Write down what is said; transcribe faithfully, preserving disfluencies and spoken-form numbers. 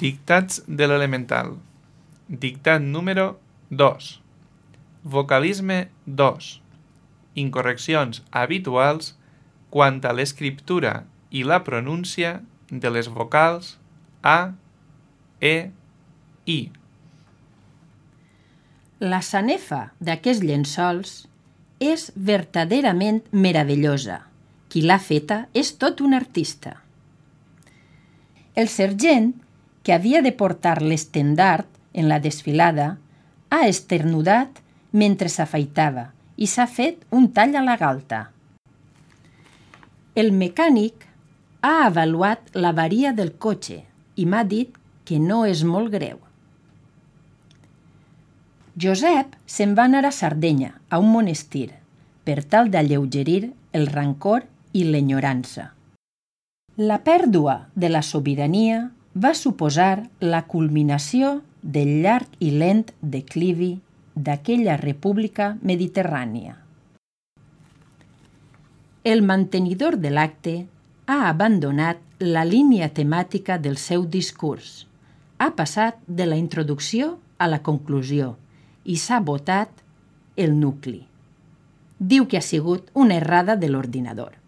Dictats de l'elemental. Dictat número dos. Vocalisme dos. Incorreccions habituals quant a l'escriptura i la pronúncia de les vocals A, E, I. La sanefa d'aquests llençols és vertaderament meravellosa. Qui l'ha feta és tot un artista. El sergent, que havia de portar l'estendard en la desfilada, ha esternudat mentre s'afaitava i s'ha fet un tall a la galta. El mecànic ha avaluat l'avaria del cotxe i m'ha dit que no és molt greu. Josep se'n va anar a Sardenya, a un monestir, per tal d'alleugerir el rancor i l'enyorança. La pèrdua de la sobirania va suposar la culminació del llarg i lent declivi d'aquella república mediterrània. El mantenidor de l'acte ha abandonat la línia temàtica del seu discurs, ha passat de la introducció a la conclusió i s'ha botat el nucli. Diu que ha sigut una errada de l'ordinador.